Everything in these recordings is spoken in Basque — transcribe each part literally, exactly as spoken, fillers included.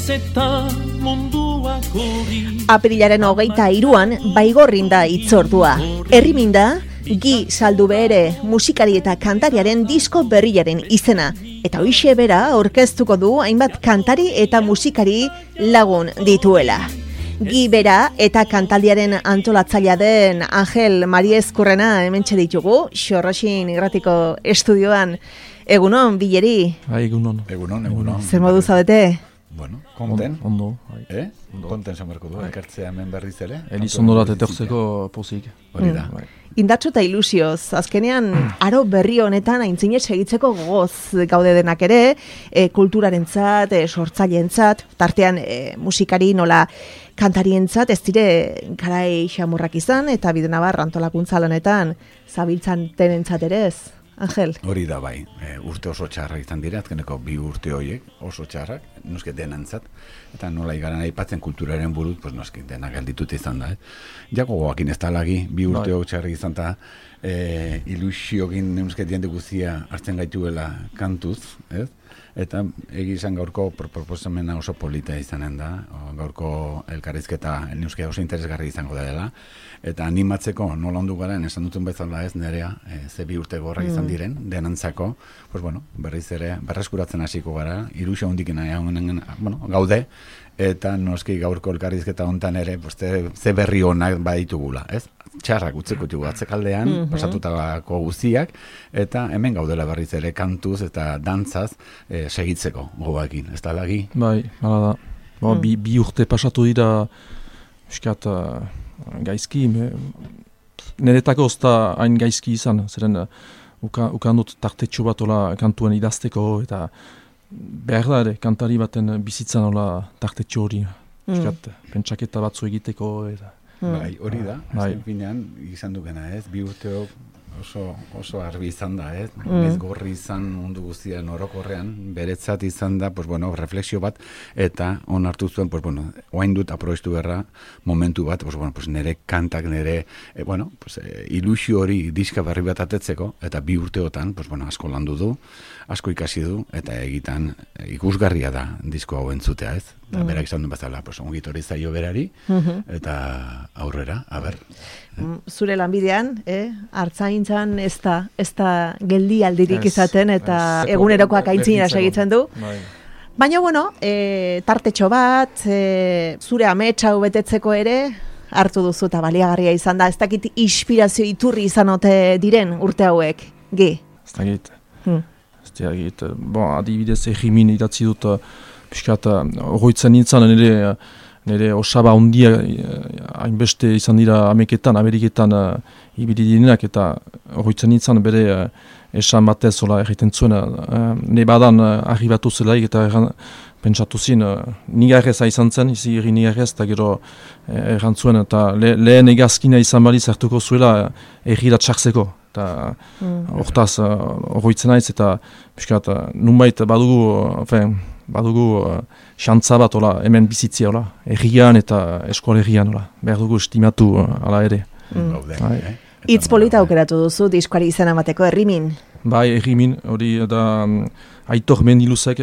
eta munduak hori. Aprilaren hogeita hiruan baigorrin da itzordua. Erriminda, Gi saldu behere musikari eta kantariaren disko berriaren izena. Eta hoixe bera aurkeztuko du hainbat kantari eta musikari lagun dituela. Gi bera eta kantaldiaren antolatzailea den Angel Mariezkurrena hementxe ditugu, Xorroxin Irratiko estudioan. Egunon, Bileri. Bai, egunon. Egunon, egunon. Zer modu zaudete? Bueno, konten. Ondo. Eh? Konten zamerko du, ekartzea hemen berriz ere. Eliz ondorat etortzeko pozik. Hori da. Indartsu eta ilusioz, azkenean aro berri honetan aintzinez segitzeko gogoz gaude denak ere, e, kulturarentzat, e, sortzaileentzat, tartean e, musikari nola kantarientzat ez dire garai xamurrak izan eta Bidenabar antolakuntza lanetan zabiltzan denentzat ere ez. Angel. Hori da bai, e, urte oso txarrak izan dira, azkeneko bi urte horiek oso txarrak, noski denantzat, eta nola igaran aipatzen kulturaren burut, pues noski denak gelditut izan da. Eh? Jako goakin ez talagi, bi urte hori txarrak izan da, e, ilusiogin neuske diende guzia hartzen gaituela kantuz, ez? Eta egizan gaurko proposamena oso polita izanen da, gaurko elkarrizketa neuske oso interesgarri izango da dela, eta animatzeko nola ondu garen, esan duten bezala ez nerea, e, ze bi urte gorra izan diren, denantzako, pues bueno, berriz ere, berreskuratzen hasiko gara, ilusio hondikena bueno, gaude, eta noski gaurko elkarrizketa hontan ere, pues, te, ze berri honak baditugula, ez? Txarrak utzeko dugu atzekaldean, mm-hmm. pasatutako guztiak, eta hemen gaudela berriz ere kantuz eta dantzaz e, segitzeko gogoekin, ez da lagi? Bai, hala da. Ba, mm. bi, bi urte pasatu dira, eskat, uh, gaizki, me, niretako ez da hain gaizki izan, zeren uh, uka, ukan dut tartetxo bat ola kantuen idazteko, eta behar da ere, kantari baten bizitzan ola tartetxo hori, eskat, mm. pentsaketa batzu egiteko, eta Bai, hori da, bai. azken finean izan dukena ez, bi urteok oso, oso argi izan da ez, mm. ez gorri izan mundu guztian orokorrean, beretzat izan da, pues bueno, refleksio bat, eta on hartu zuen, pues bueno, oain dut aprobestu berra momentu bat, pues bueno, pues nire kantak, nire, eh, bueno, pues eh, ilusio hori diska berri bat atetzeko, eta bi urteotan, pues bueno, asko landu du, asko ikasi du, eta egitan eh, ikusgarria da disko hau entzutea ez, eta mm. berak izan duen bezala, pues ongit hori zaio berari, mm-hmm. eta aurrera, a ber. Zure lanbidean, eh? Artzaintzan ez da, ez da geldi aldirik izaten eta es, egunerokoak aintzinera segitzen du. Bai. Baina, bueno, e, tartetxo bat, e, zure ametsa betetzeko ere, hartu duzu eta baliagarria izan da. Ez dakit inspirazio iturri izan ote diren urte hauek, Gi? Ez dakit. Hmm. Ez dakit. Bon, adibidez egimin idatzi dut, piskat, horretzen nintzen nire, nire osaba ondia hainbeste izan dira Ameketan, Ameriketan uh, ibili direnak eta horretzen nintzen bere uh, esan batez ola erreten zuen uh, ne badan uh, arribatu zelaik eta erran, pentsatu zin uh, nigarreza izan zen, izi irri nigarrez eta gero uh, erran zuen eta le, lehen egazkina izan baliz hartuko zuela uh, errira txartzeko. Eta hortaz horretzen naiz eta piskat uh, nunbait badugu, uh, badugu uh, xantza bat ola, hemen bizitzia ola, errian eta eskola errian ola, behar dugu estimatu uh, ala ere. Mm. Itz polita aukeratu duzu diskoari izan amateko Errimin? Bai, Errimin, hori da um, Aitor Mendiluzek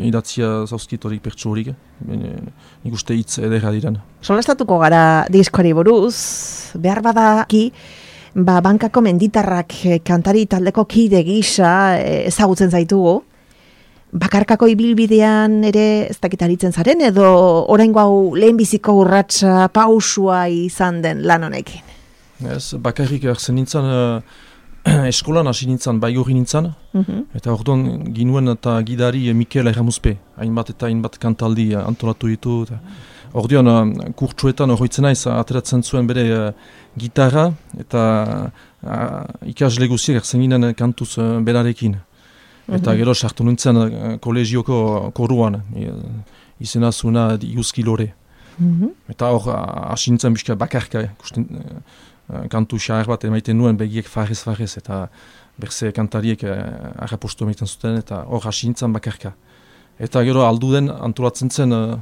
idatzia zauzkit hori pertsu horik, nik uste hitz edera diren. Solastatuko gara diskoari buruz, behar badaki, ba, bankako menditarrak kantari taldeko kide gisa ezagutzen zaitugu, bakarkako ibilbidean ere ez dakit aritzen zaren edo oraingo hau lehenbiziko urratsa pausua izan den lan honekin? Ez, bakarrik hartzen nintzen, uh, eskolan hasi nintzen, baigorri nintzen, mm-hmm. eta orduan ginuen eta gidari Mikel Erramuzpe, hainbat eta hainbat kantaldi antolatu ditu. Eta orduan uh, kurtsuetan horretzen naiz ateratzen zuen bere uh, gitarra eta uh, ikasle guziak hartzen ginen kantuz uh, berarekin. Eta gero sartu nintzen uh, kolegioko koruan, izena zuena Iuski Lore. Mm-hmm. Eta hor hasi nintzen bizka bakarka, kusten, uh, kantu xahar bat emaiten nuen begiek farrez-farrez, eta berze kantariek uh, arrapostu emaiten zuten, eta hor hasi nintzen bakarka. Eta gero aldu den antolatzen zen, uh,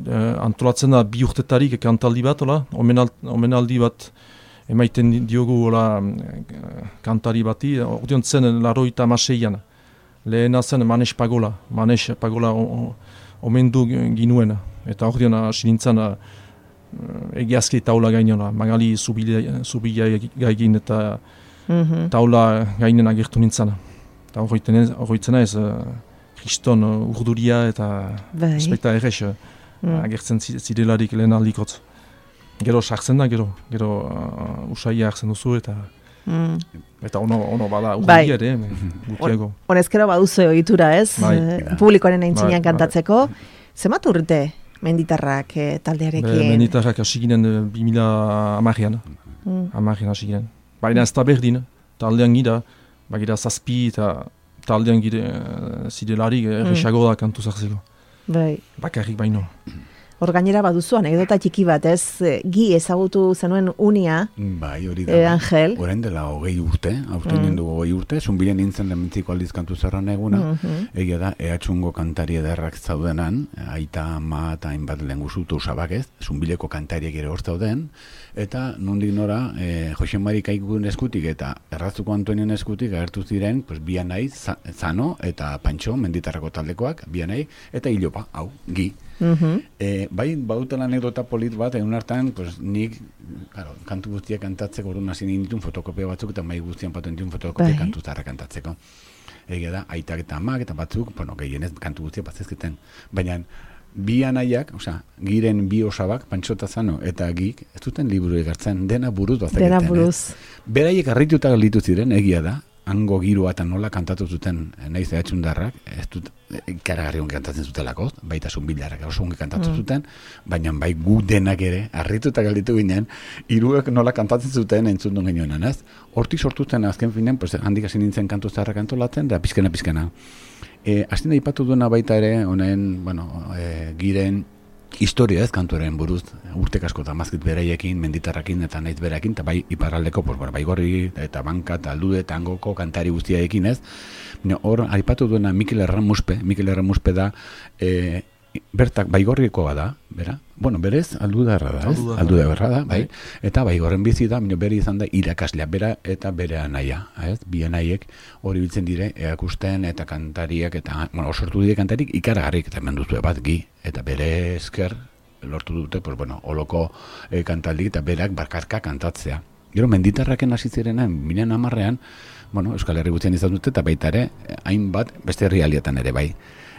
uh, antolatzen da bi urtetarik kantaldi bat, ola, omenal, omenaldi bat emaiten diogu ola, uh, kantari bati, ordeon zen laroita amaseian. Lehena zen Manes Pagola, Manes Pagola omendu ginuen. Eta hor dion hasi nintzen uh, egiazki taula gainona, magali zubila gaigin eta mm-hmm. taula gainen agertu nintzen. Eta horretzen ez, uh, kriston uh, urduria eta espekta errex uh, mm. agertzen zidelarik lehen aldikotz. Gero sartzen da, gero, gero uh, usaia hartzen duzu eta mm. eta ono, ono bada urduria ere, gutiago. Honezkero baduzu egitura ez, bai. Publikoaren aintzinean bai, kantatzeko. Bai. Zemat urte menditarrak eh, taldearekin? Be, menditarrak hasi ginen bi mila hamarrean, mm. hamarrean hasi ginen. Baina ez da berdin, taldean gira, bagira zazpi eta taldean gire uh, zidelarik erresago mm. da kantu zartzeko. Bai. Bakarrik baino. Hor gainera baduzu anekdota txiki bat, ez? Gi ezagutu zenuen unia, bai, hori da, eh, Angel. Orain dela hogei urte, aurten mm. dugu hogei urte, zunbilen nintzen lehentziko aldiz kantu zerran eguna, mm-hmm. egia da, ehatxungo kantari ederrak zaudenan, aita, ama eta hainbat lenguzutu usabak ez, zunbileko kantariek ere hor zauden, eta nondik nora, eh, Jose Mari Kaikun eskutik eta Errazuko Antonien eskutik agertu ziren, pues, Bianai, Zano eta Pantxo, menditarrako taldekoak, Bianai, eta Ilopa, hau, Gi. Mm-hmm. E, bai, bautela anekdota polit bat, egun hartan, pues, nik, claro, kantu guztiak kantatzeko orduan hasi nintun fotokopia batzuk, eta mai guztian patentun fotokopia bai. Kantu zarra kantatzeko. Egia da, aitak eta amak eta batzuk, bueno, gehienez kantu guztiak batzezketen. Baina, bi anaiak, osea, giren bi osabak, Pantxo eta Zano eta Gik, ez duten liburu egartzen, dena buruz bazeketen. Dena buruz. Eh? Beraiek harrituta galditu ziren, egia da, hango girua eta nola kantatu zuten naiz ehatxundarrak, ez dut ikaragarri ongi kantatzen zutelako, baita zunbilarrak oso ongi kantatu mm. zuten, baina bai gu denak ere, harrituta galditu ginen, hiruek nola kantatzen zuten entzun duen genioenan, ez? Hortik sortu zen azken finen, pues, handik hasi nintzen kantu zaharrak antolatzen, da pizkena pizkena. E, Azten da ipatu duena baita ere, honen, bueno, e, giren, historia ez kantuaren buruz, urtek asko eta mazkit beraiekin, menditarrakin eta naiz berakin, eta bai iparraldeko, pues, bai gorri eta banka eta aldude eta angoko kantari guztiaekin ez. Hor, aipatu duena Mikel Erramuspe, Mikel Erramuspe da, e, bertak baigorrikoa da, bera? Bueno, berez, aldudarra da, ez? Aldudarra da, bai. Eta baigorren bizi da, mino bere izan da irakaslea, bera eta bere anaia, ez? Bi anaiek hori biltzen dire, eakusten eta kantariak, eta, bueno, sortu dire kantarik ikaragarrik, eta hemen duzu bat, Gi, eta bere esker lortu dute, pues, bueno, holoko e, kantaldik eta berak bakarka kantatzea. Gero, menditarraken hasi zirenen, miren amarrean, bueno, Euskal Herri guztian izan dute, eta baita ere, hainbat beste herrialdetan ere bai.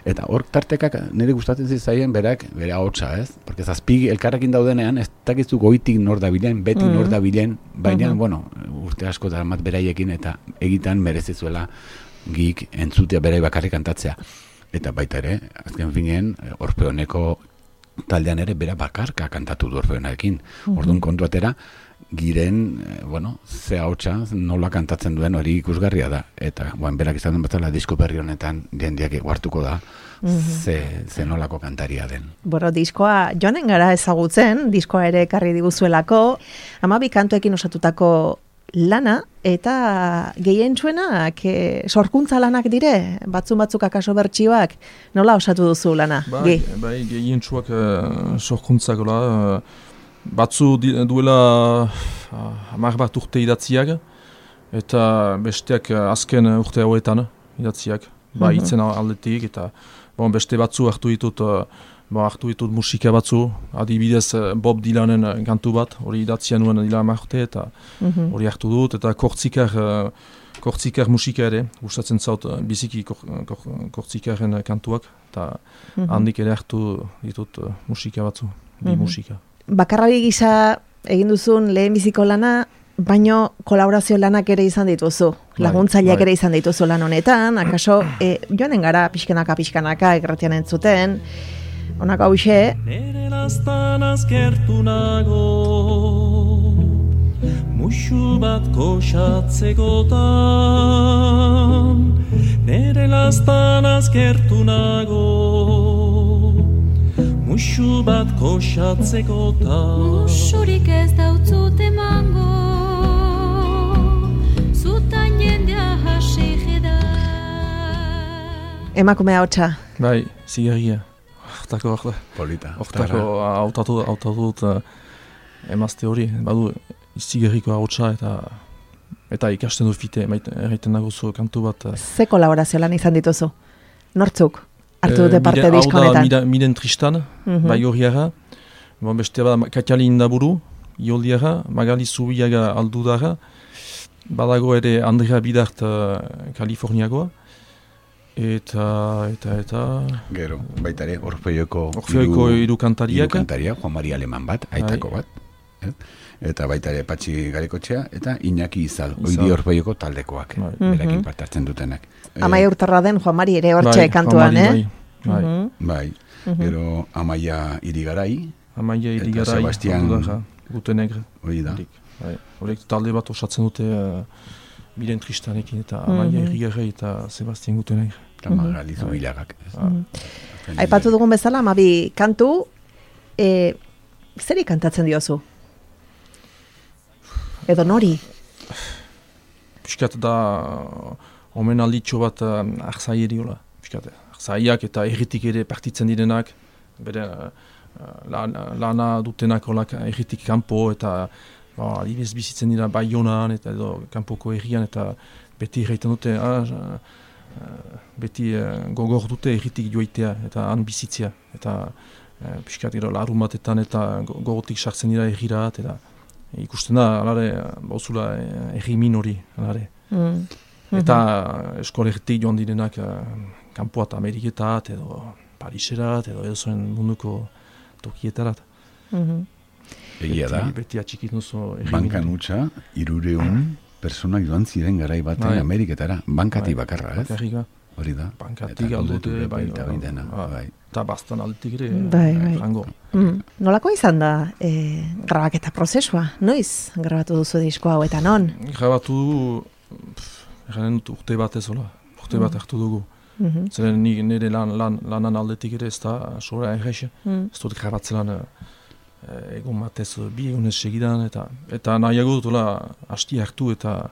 Eta hor tartekak nire gustatzen zitzaien berak, bere ahotsa, ez? Porque zazpig elkarrekin daudenean, ez dakizu goitik nor dabilen, beti mm-hmm. nor dabilen, baina, mm-hmm. bueno, urte asko daramat beraiekin, eta egitan merezizuela Gik entzutea berai bakarrik kantatzea. Eta baita ere, azken finen, Orfeoneko taldean ere bera bakarka kantatu du Orfeonarekin. Mm-hmm. Orduan kontu atera, Giren, eh, bueno, ze ahotsa nola kantatzen duen hori ikusgarria da. Eta, bueno, berak izan den batzala disko berri honetan jendeak eguartuko da, mm-hmm. ze, ze nolako kantaria den. Bueno, diskoa joanen gara ezagutzen, diskoa ere ekarri diguzuelako, hamabi kantuekin osatutako lana, eta gehien txuenak, e, sorkuntza lanak dire, batzun batzuk akaso bertsioak, nola osatu duzu lana? Bai, bai gehien txuak uh, sorkuntzak, uh, batzu duela hamar bat urte idatziak, eta besteak azken urte hauetan idatziak, ba, mm-hmm. itzen aldetik, eta bon, beste batzu hartu ditut, ba, hartu ditut musika batzu, adibidez Bob Dylanen kantu bat, hori idatzia nuen dila hamar urte, eta hori mm-hmm. hartu dut, eta kortzikar, kortzikar musika ere, gustatzen zaut biziki kor, kor, kortzikaren kantuak, eta mm-hmm. handik ere hartu ditut musika batzu, bi mm-hmm. musika. Bakarrari gisa egin duzun lehen biziko lana, baino kolaborazio lanak ere izan dituzu. Laguntzaileak ere izan dituzu lan honetan, akaso e, joanen gara pixkanaka pixkanaka egratian entzuten. Honako hau xe. Nere lastan azkertu nago, musu bat koxatzekotan. Nere lastan azkertu nago, musu bat koxatzekotan. Musurik ez dautzut emango, zutan jendea hasik da. Emakumea hotza. Bai, zigarria. Hortako, polita. Hortako, hautatu dut emazte hori, badu zigarriko hotza eta eta ikasten du fite, erraiten nagozu kantu bat. Ze kolaborazio lan izan dituzu? Nortzuk? hartu dute parte Eh, disko Hau da honetan. mira- Miren Tristan, Mhm. bai horiara. Bon, beste bada Katiali Indaburu, Ioldiara, Magali Zubiaga Aldudara. Badago ere Andrea Bidart uh, Kaliforniagoa. Eta, eta, eta... Gero, baita ere, Orfeoko Orfeoko hiru kantariak. kantaria, Juan Mari Aleman bat, aitako bat. Eh? Eta baita ere Patxi Garikotxea, eta Iñaki Izal, Izal. oidi Orfeoko taldekoak, Bai. berekin Mhm. parte hartzen dutenak. Eh, Amaia urtarra den Juan Mari ere hortxe bai, kantuan, Juan eh? Mari, Bai, bai. Mhm. Bai, gero Amaia Irigarai, Amaia Eta Irigarai, Sebastian- Aldudara, Gute Negre. hori da. Horik, bai. Horek talde bat osatzen dute uh, Miren Tristanekin eta Amaia Mhm. Irigarai eta Sebastian Gute Negre. Eta Magali Zubilagak. Aipatu dugun bezala, amabi kantu, e, zeri kantatzen diozu? Edo nori? Piskat da omen alditxo bat uh, arzaieri hola. Piskat, arzaiak eta erritik ere partitzen direnak, bere uh, lana, lana dutenak holak erritik kanpo eta ba, adibidez bizitzen dira Baionan eta edo kanpoko herrian eta beti erraiten dute, ah, uh, beti uh, gogor dute erritik joitea eta han bizitzea. Eta uh, piskat gero larun batetan eta go- gogotik sartzen dira errirat eta ikusten da, alare, bauzula erri minori, alare. Mm. Eta eskolegetik joan direnak uh, kanpoat Ameriketat edo Pariserat edo edo zuen munduko tokietarat. Mhm. Egia da, Beti, beti atxikit nuzo erri bankan minori. utxa, irureun personak joan ziren garai batean Bai. Ameriketara, bankati Bai, bakarra, ez? Bakarrika. Hori da. Bankatik Eta aldute, aldute bai, baita hori dena, ah, bai. Eta bastan aldetik ere, Bai, bai. frango. Mm. Nolako izan da e, grabaketa prozesua? Noiz grabatu duzu disko hau eta non? Grabatu dugu, pff, erranen dut urte bat ez hola, urte bat hartu dugu. Mhm. Zeren ni- nire lan, lan, lanan aldetik ere ez da sora errexe. Mm. Ez dut grabatzelan uh, egun batez uh, bi egunez segidan eta eta nahiago dut hola hasti hartu eta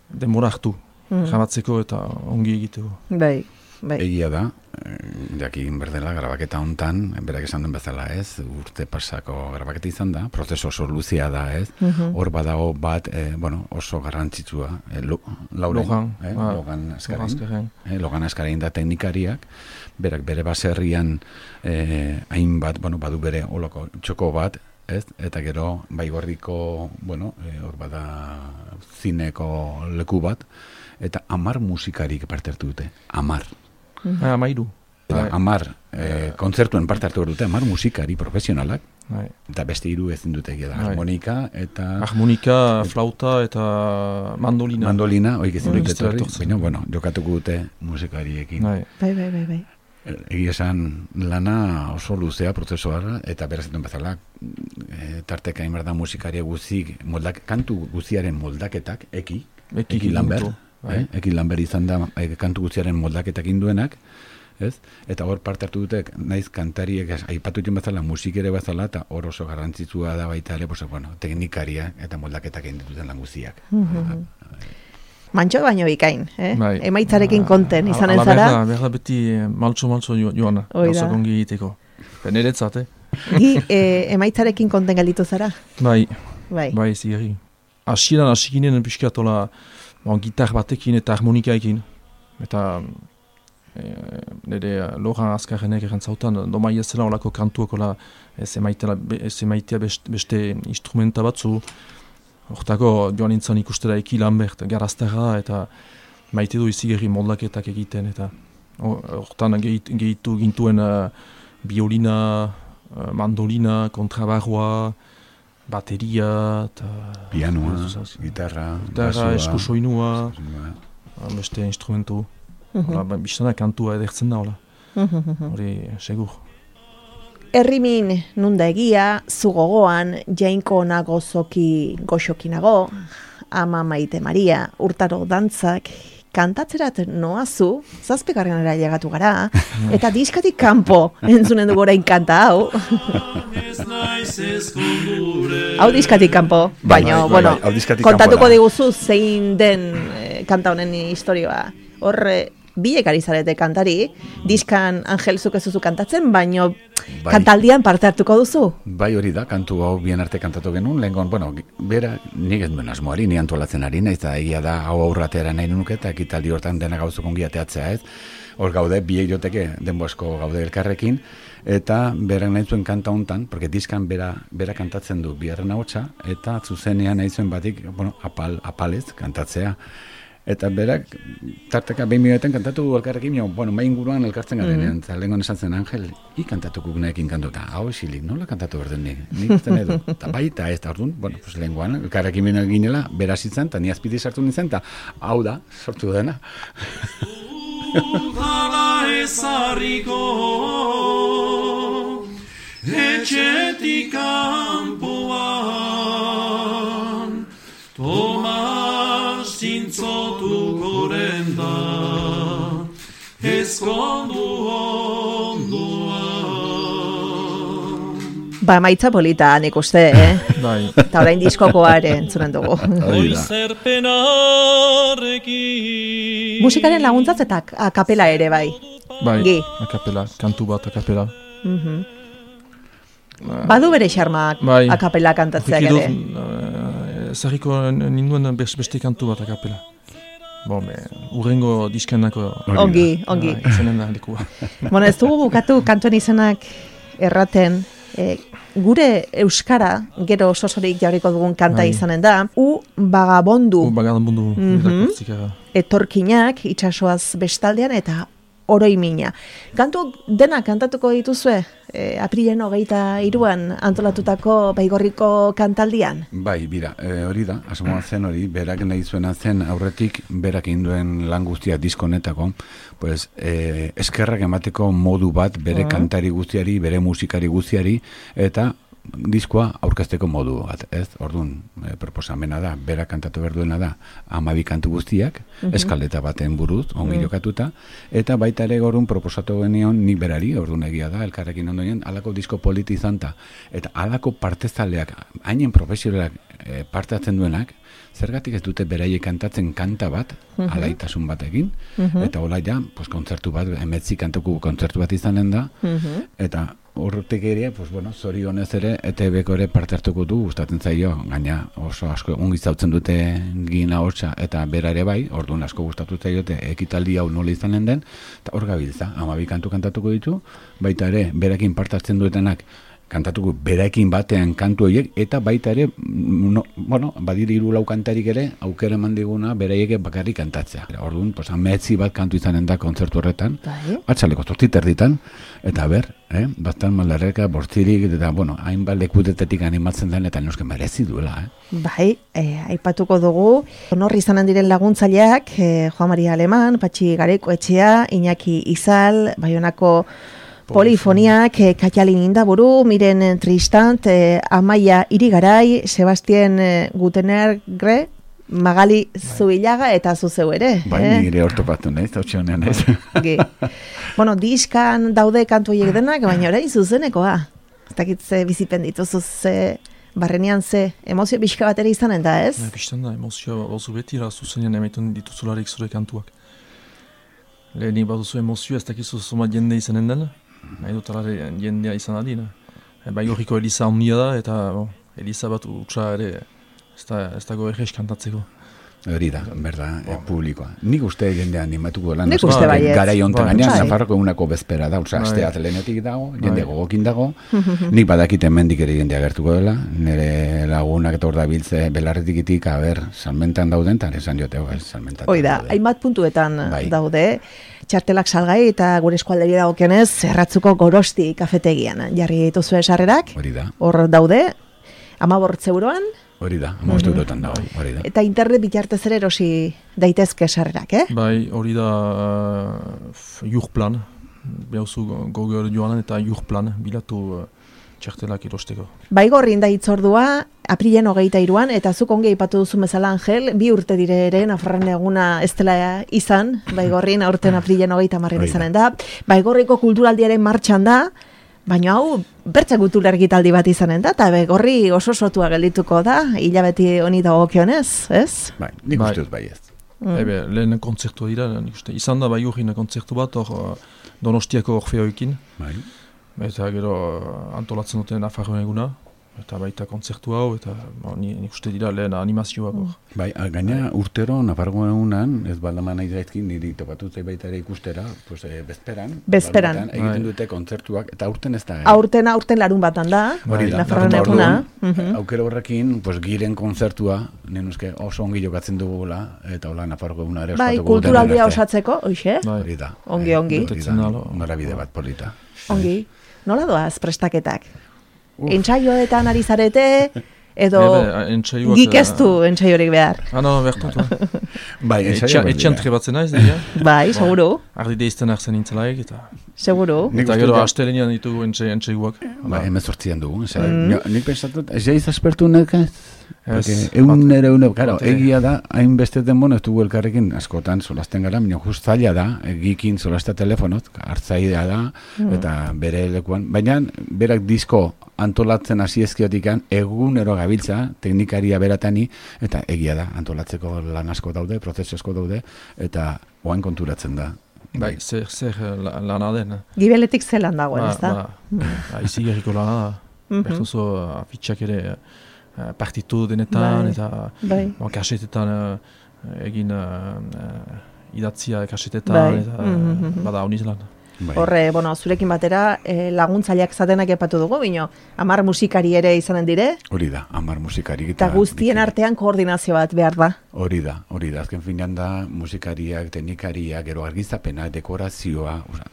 denbora hartu Mm. grabatzeko eta ongi egiteko. Bai, bai. Egia da, eh, jakin berdela, grabaketa hontan, berak esan duen bezala ez, urte pasako grabaketa izan da, prozesu oso luzea da ez, Mhm. hor badago bat, eh, bueno, oso garrantzitsua, eh, lo, Lauren, Logan, eh, ah, Logan Askarin, Azkarren. eh, Logan Askarin da teknikariak, berak bere baserrian eh, hainbat, bueno, badu bere oloko txoko bat, ez, eta gero baigorriko, bueno, eh, hor bada zineko leku bat, eta amar musikarik parte hartu dute, amar. Ah, amairu. Eta Bai, amar eh, kontzertuen parte hartu dute, amar musikari profesionalak, bai. eta beste hiru ezin dute egia da, Bai. harmonika eta Harmonika, flauta eta mandolina. mandolina, oik ezin Bai, dute beste etorri, etortzen. baina, bueno, jokatuko dute musikariekin. Bai. Bai, bai, bai, bai. Egia esan lana oso luzea prozesua eta beraz dituen bezala e, tarteka inbar da musikaria guzik, moldak, kantu guziaren moldaketak, eki, Eki eki Lambert, Ginuto, bai. eh? eki Lambert izan da e, kantu guziaren moldaketak induenak, ez? Eta hor parte hartu dute, naiz kantariek ez, aipatu dituen bezala, musikere bezala, eta hor oso garrantzitsua da baita ere, pues, bueno, teknikaria eta moldaketak egin dituten lan guziak. Mantxo baino bikain, eh? Bai. Emaitzarekin konten izanen Ala, zara. Berda, berda beti eh, maltso-maltso jo- joana, Hoi da. gauzak ongi egiteko. Niretzat, eh? Gi, e, emaitzarekin konten gelditu zara? Bai, Bai. bai, zigeri. Hasieran hasikinen pixkatola bon, gitar batekin eta harmonikaekin. Eta e, nire Logan Azkarrenek erantzautan, domai ez zela olako kantuak ola ez emaitela, ez emaitea beste, beste instrumenta batzu. Hortako joan nintzen ikustera Eki Lambert, garazterra eta maite du izigerri moldaketak egiten eta hortan gehitu, gehitu gintuen uh, biolina, uh, mandolina, kontrabarroa, bateria eta Pianoa, Ez, gitarra, gitarra, eskusoinua, basua. beste instrumentu. Hola, ba, biztana kantua edertzen da, hola. Hori, segur. Errimin nunda egia, zu gogoan, jainko nago zoki goxokinago, ama Maite Maria, urtaro dantzak, kantatzerat noazu, zazpigarrenera llegatu gara, eta diskatik kanpo entzunen dugu orain kanta hau. Hau diskatik kanpo, Bai, baina, bai, bueno, bai, hau diskatik kontatuko kanpo da. diguzu zein den eh, kanta honen historioa. Horre, biek ari zarete kantari, diskan Angel zuk ez duzu kantatzen, baino Bai. kantaldian parte hartuko duzu. Bai hori da, kantu hau bien arte kantatu genuen, lehengon, bueno, bera, nik ez duen asmoari, ni antolatzen ari naiz, eta egia da, hau aurratera nahi nuke, eta ekitaldi hortan dena gauzuk ongi ateatzea ez. Hor gaude, biei joteke, denbo asko gaude elkarrekin, eta berak nahi zuen kanta hontan, porque diskan bera, bera kantatzen du biharren ahotsa, eta zuzenean nahi zuen batik, bueno, apal, apalez kantatzea. Eta berak, tarteka behin minuetan kantatu elkarrekin, jo, bueno, mai inguruan elkartzen garenean, eta lehenko esan zen, Angel, i kantatuko guneekin kantuta, hau esilik, nola kantatu berden nik, nik izten edo, eta baita ez da orduan, bueno, pues lehenkoan, elkarrekin bine ginela, beraz izan, eta ni azpiti sartu nintzen, eta hau da, sortu dena. Udala ezarriko etxetik kanpoan Tomas zintzotuko renda ezkondu onduan. Ba, maitza polita nik uste, eh? Bai. Eta orain diskokoare entzunen dugu. Oizerpenarekin Musikaren laguntzatz eta akapela ere bai. Bai, Gi. akapela, kantu bat akapela. Mhm. Badu bere xarmak Bai. akapela kantatzeak ere. Zerriko ninduen beste kantu bat akapela. Bon, be, urrengo diskenako... Ongi, ongi. Izanen da lekua. Bueno, ez dugu bukatu kantuen izenak erraten, e, gure euskara, gero sosorik jarriko dugun kanta Bai. izanen da, u bagabondu U bagadan bundu Mhm. erakortzikara. etorkinak itsasoaz bestaldean eta oroimina. Kantu dena kantatuko dituzue, e, aprilen hogeita hiruan antolatutako Baigorriko kantaldian. Bai, bira, e, hori da, asmoa zen hori, berak nahi zuena zen aurretik, berak induen lan guztia diskonetako, pues, e, eskerrak emateko modu bat bere kantari guztiari, bere musikari guztiari, eta diskoa aurkezteko modu bat, ez? Orduan, e, proposamena da, berak kantatu berduena da, hamabi kantu guztiak, eskaleta baten buruz, ongi jokatuta, eta baita ere gorun proposatu genion nik berari, orduan egia da, elkarrekin ondoen, alako disko politi izanta, eta alako partezaleak, hainen profesionalak e, parte hartzen duenak, zergatik ez dute beraiek kantatzen kanta bat, alaitasun batekin, eta hola ja, pues, kontzertu bat, emetzi kantuko kontzertu bat izanen da, eta horretik ere, pues, bueno, zorionez ere, E T Bko ere parte hartuko du, gustatzen zaio, gaina oso asko ongi zautzen dute gina hortza, eta bera ere bai, orduan asko gustatu zaiote ekitaldi hau nola izanen den, eta hor gabiltza, hamabi kantu kantatuko ditu, baita ere, berakin parte hartzen duetenak, kantatuko beraekin batean kantu horiek, eta baita ere, no, bueno, badiri hiru lau kantarik ere, aukera eman diguna beraiek bakarrik kantatzea. Orduan, pues, ametzi bat kantu izanen da kontzertu horretan, Bai. atxaleko zortzit erditan, eta ber, eh, bastan malarreka, bortzirik, eta, bueno, hainbat lekutetetik animatzen den, eta noske merezi duela, eh. Bai, e, aipatuko dugu, honor izanen diren laguntzaileak, e, Juan Maria Aleman, Patxi Garekoetxea, Iñaki Izal, Baionako Polifoniak, e, Katialin Indaburu, Miren Tristant, e, Amaia Irigarai, Sebastien e, Gutenergre, Magali Zubilaga eta zuzeu ere. Bai, eh? nire ortopatu nahiz, hautsi honean ez. Gi. Bueno, diskan daude kantu horiek denak, baina orain zuzenekoa. Ez dakit ze bizipen dituzu, ze barrenean ze emozio pixka bat ere izanen da, ez? Ja, Bistan da, emozioa oso betira zuzenean emaiten dituzularik zure kantuak. Lehenik baduzu emozioa, ez dakizu zoma jende izanen den, nahi dut alare jendea izan adina. E, Baigorriko Eliza ondia da, eta bon, Eliza bat utxa ere ez da, ez dago errez kantatzeko. Hori da, berda, e, publikoa. Nik uste jendean animatuko lan. Nik asko, uste baietz. Garai hontan Bai. gainean, Bai. Nafarroko egunako bezpera da, osea, Bai. astea atlenetik dago, jende Bai. gogokin dago, nik badakite hemendik ere jendea gertuko dela, nire lagunak eta hor da biltze belarretikitik, a ber, salmentan dauden, eta esan jote, bai, salmentan Hoi da, hainbat puntuetan Bai. daude, txartelak salgai eta gure eskualderi dagokionez, Zerratzuko Gorosti kafetegian jarri dituzue sarrerak, Hori da, hor daude, amabortz euroan, hori da, amostu eurotan dago, hori da. eta internet bitartez ere erosi daitezke sarrerak, eh? Bai, hori da uh, jurplan, behauzu Google joanen eta jurplan bilatu uh, txartelak erosteko. Baigorrin da hitzordua, aprilen hogeita iruan, eta zuk ongi aipatu duzu bezala, Angel, bi urte dire ere, Nafarroan eguna ez dela izan, Baigorrin aurten aprilen hogeita marren Hori da. izanen da. Baigorriko kulturaldiaren martxan da, baina hau bertza kulturargitaldi bat izanen da, eta Baigorri oso sotua geldituko da, hilabeti honi dagokionez, ez? Bai, nik Bai. uste dut bai ez. Mm. Ebe, lehen kontzertua dira, nik uste, izan da Baigorrin kontzertu bat, hor uh, Donostiako Orfeoekin, Bai. eta gero uh, antolatzen duten Nafarroan eguna, eta baita kontzertu hau, eta bo, ni- nik uste dira lehen animazioak hor. Bai, a- gaina urtero Nafarroa egunan, ez baldaman nahi zaizkin, niri topatu zait baita ere ikustera, pues, eh, bezperan, Bezperan. larunbatean egiten Bai. dute kontzertuak, eta aurten ez da. eh? Aurten, aurten larun batan da, Hori da, Nafarroan eta eguna. orduan, Mhm. aukera horrekin, pues, giren kontzertua, nenuzke oso ongi jokatzen dugula, eta hola Nafarroa eguna ere Bai, ospatuko duten kulturaldia arte. osatzeko, hoxe? Bai. Hori da. Ongi, Eh, ongi. hori da, Betetzen da, lo- norabide bat polita. Ongi. Nola doaz prestaketak? Uf. Entsaioetan ari zarete, edo Ebe, entsaioak... gik ez du entsaiorik behar. Ah, no, bertut, ba. Bai, Etxean ensaio etxean trebatzen naiz, dira. Bai, seguru, Ardi deizten arzen nintzelaik, eta... seguru. Nik Eta uste gero dut- astelenian ditugu entxe, entxeiguak. Bai, hemezortzian dugu. Osea, Mm. nio- nik pensatut, ez jaiz aspertu nekez? Ez, Porque egun ere egun, claro, bat ere. egia da, hainbeste denbona ez dugu elkarrekin askotan solasten gara, baina just zaila da, egikin solastea telefonot, hartzaidea da, eta bere lekuan, baina berak disko antolatzen hasi ezkiotikan, egunero gabiltza, teknikaria beratani, eta egia da, antolatzeko lan asko daude, prozesu asko daude, eta oain konturatzen da. Bai, zer, zer eh, la- lana den. Gibeletik zelan dagoen, ez da? Ba, ba, izi gerriko lana da. Mhm. Bertuzo afitxak ere eh, partitu denetan, Bai. eta Bai. bon, kasetetan eh, egin eh, eh, idatzia kasetetan, Bai. eta Mhm, mhm. bada honiz lan. Bai. Horre, bueno, zurekin batera eh, laguntzaileak zatenak epatu dugu, bino, hamar musikari ere izanen dire, Hori da, hamar musikarik eta guztien biki- artean koordinazio bat behar da. Hori da, hori da, azken finean da musikariak, teknikariak, gero argizapena, dekorazioa, oza,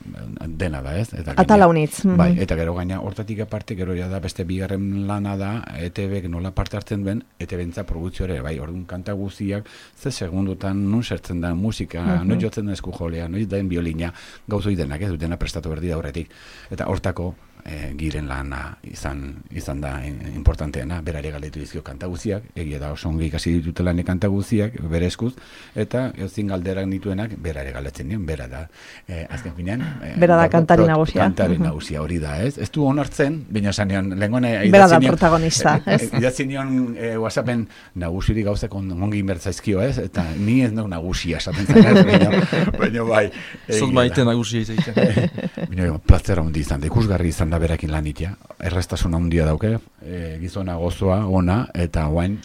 dena da, ez? Eta gaina- Atala unitz. Mhm. Bai, eta gero gaina hortatik aparte, gero ja da beste bigarren lana da, E T Bek nola parte hartzen duen, E T Bentza produzio ere, bai, orduan kanta guztiak, ze segundutan nun sertzen da musika, Mhm. noiz jotzen den eskujolea, noiz den biolina, gauzoi denak, ez dena prestatu berdi da horretik. Eta hortako, e, giren lana izan izan da in- importanteena, berari galdetu dizkio kanta guztiak, egia da oso ongi ikasi ditutela ne kanta guztiak, bere eskuz, eta ezin galderak dituenak berari galdetzen dion, bera da. E, azken finean, e, Bera da ba- kantari prot- nagusia. Kantari Mhm. nagusia hori da, ez? Ez du onartzen, baina sanean, lehengone Bera da protagonista, ez? Idatzi nion e, WhatsAppen nagusiri gauzak on- ongi inbertzaizkio, ez? Eta ni ez nau nagusia esaten zen, ez? Baina, baina bai. Zot egia maite da. nagusia izaiten. Baina plazer handi izan da, ikusgarri izan da berakin lanitia. Erreztasuna handia dauke, e, gizona gozoa, ona, eta guain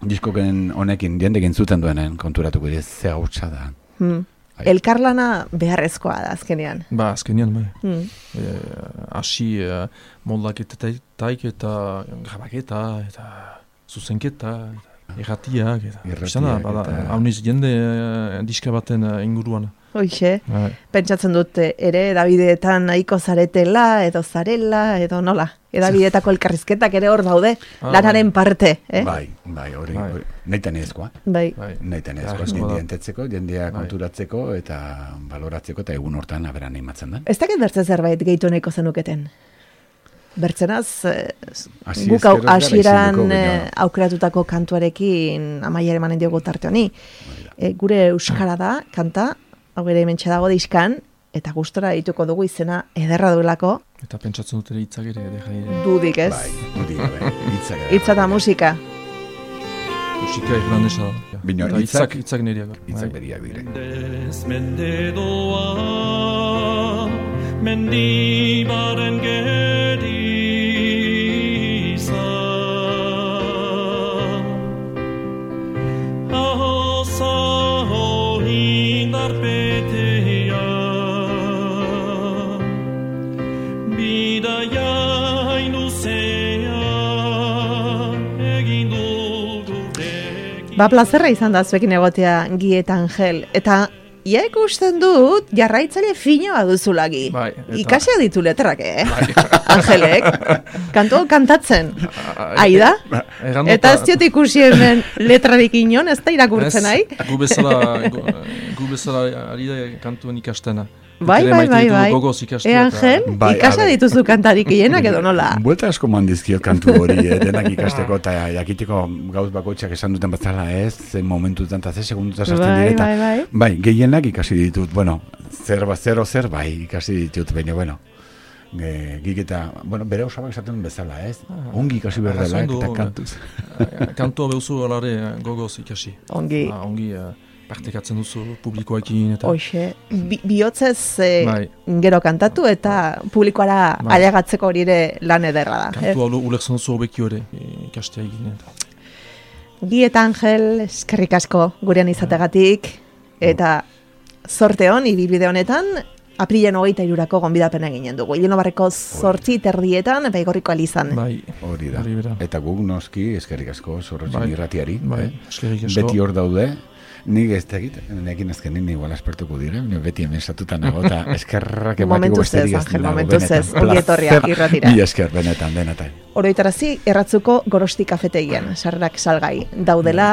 diskoken honekin jendekin zuten duenen konturatuko dira, ze hautsa da. Hmm. Bai. Elkarlana beharrezkoa da azkenean. Ba, azkenean, bai. Hmm. Eh, hasi uh, moldaketetaik eta grabaketa, eta zuzenketa, eta erratiak, eta Irratiak izan da, bada, eta- hauniz jende uh, diska baten uh, inguruan. Hoixe, Bai. pentsatzen dut eh, ere edabideetan nahiko zaretela, edo zarela, edo nola. Edabideetako elkarrizketak ere hor daude, Ah, lanaren parte, eh? Bai, bai, hori, Bai. hori. Nahitan ezkoa. Bai. Bai. Nahitan ezkoa, Beharrezkoa da. jendea entetzeko, jendea Bai. konturatzeko, eta baloratzeko, eta egun hortan aberan animatzen da. Ez dakit bertze zerbait gehitu nahiko zenuketen. Bertzenaz, eh, Hasi guk hau ezkero ez gara hasieran isilduko, eh, baina- aukeratutako kantuarekin amaiera emanen diogu tarte honi. E, gure euskara da, kanta, hau ere hementxe dago diskan, eta gustora dituko dugu izena ederra duelako, Eta pentsatzen dut ere hitzak ere, ere jai, dudik ez. Bai, hori, bai, hitzak. Hitza eta musika. musika irlandesa da. Bino, Eta hitzak- hitzak, hitzak niriak. Hitzak Bai. beriak dire. Mendez mende doa, mendibaren geriza. Ahozaho indarpetea, bidaia inuzea, egin dugu rekin. Ba, plazerra izan da zuekin egotea Gi eta Angel. Eta ia ikusten dut jarraitzaile finoa duzulagi. Bai, eta- Ikasiak ditu letrak, eh? Angelek. Kantu kantatzen. Aida? Errandota- Eta ez diot ikusi hemen letrarik inon, ez da irakurtzen nahi? Ez, gu bezala, gu, gu bezala ari da kantuen ikastena. Bai, Ere bai, maite bai, ditugu bai. gogoz ikastea E, eta- Angel, Bai, ikasa a ber. dituzu kantarik hienak edo nola? Buelta asko mandizkiot kantu hori, eh, denak ikasteko eta jakiteko gauz bakoitzak esan duten bezala ez, ze momentutan eta ze segundutan sartzen Bai, direta. bai, bai. Bai, gehienak ikasi ditut, bueno, zer, ba- zero zer, bai, ikasi ditut, baina, bueno, e, gik eta, bueno, bere osabak esaten duen bezala, ez? Ongi ikasi behar dela, Arrazoi du, eta kantuz. Kantua behuzu alare gogoz ikasi. Ongi. Ah, ongi, eh, partekatzen duzu publikoekin eta... Hoxe, bi, bihotzez eh, Bai. gero kantatu eta publikoara Bai. ailegatzeko hori ere lan ederra da. Kantu hau ulertzen duzu hobeki hori, e, ikastea egin. Eta... Gi eta Angel, eskerrik asko gurean izategatik, eta zorte hon, ibilbide honetan, aprilen hogeita irurako gonbidapena ginen dugu. Ileno barreko zortzi terdietan, Baigorriko Elizan. Bai, Hori da. hori bera. Eta guk noski eskerrik asko Zorrotxin Bai. irratiari. Bai, eh? eskerrik asko. Beti hor daude. Nik ez tegit, nekin azkenin igual aspertuko dire, baina beti hemen estatuta nago, eta eskerrak ematiko Momentuz ez, besterik ez Angel, nago, momentuz benetan. ez, ongi etorria Placer. irratira. Mila esker, benetan, benetan. Oroitarazi, erratzuko Gorosti kafetegian, sarrerak salgai daudela,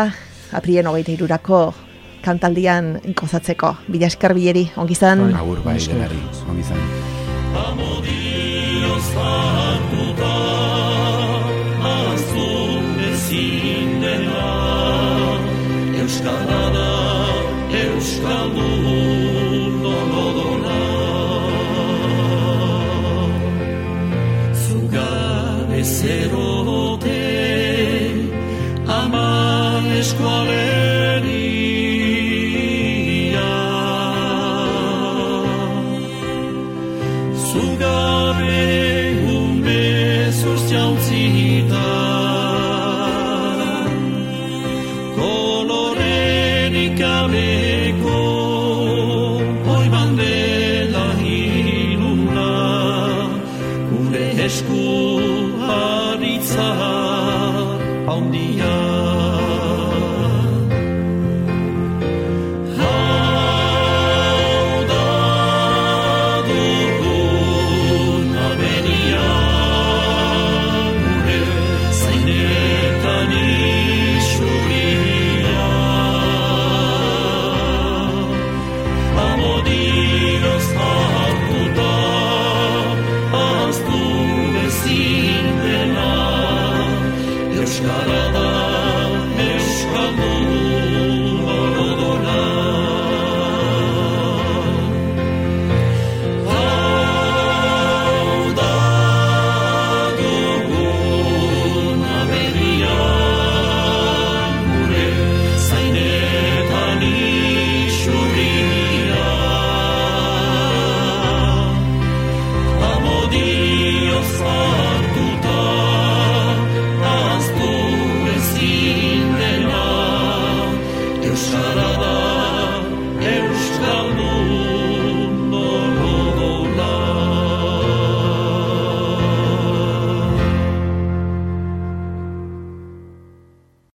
aprilen hogeita irurako kantaldian gozatzeko. Bila esker bileri, ongi zan. Bai. Agur bai Esker. denari, ongi izan. Amodioz hartuta, ahaztu ezin dena, Euskara da, Euskaldun odona. Zugabe zerote, ama eskualeria, Zugabe umezuz jantzita, kolorerik gabeko hoi bandela hiluna, gure esku haritza handia. Euskara da, Euskaldun odona. Hau da dugun aberria, gure zainetan isurria. Amodioz hartuta, ahaztu ezin dena, Euskara da,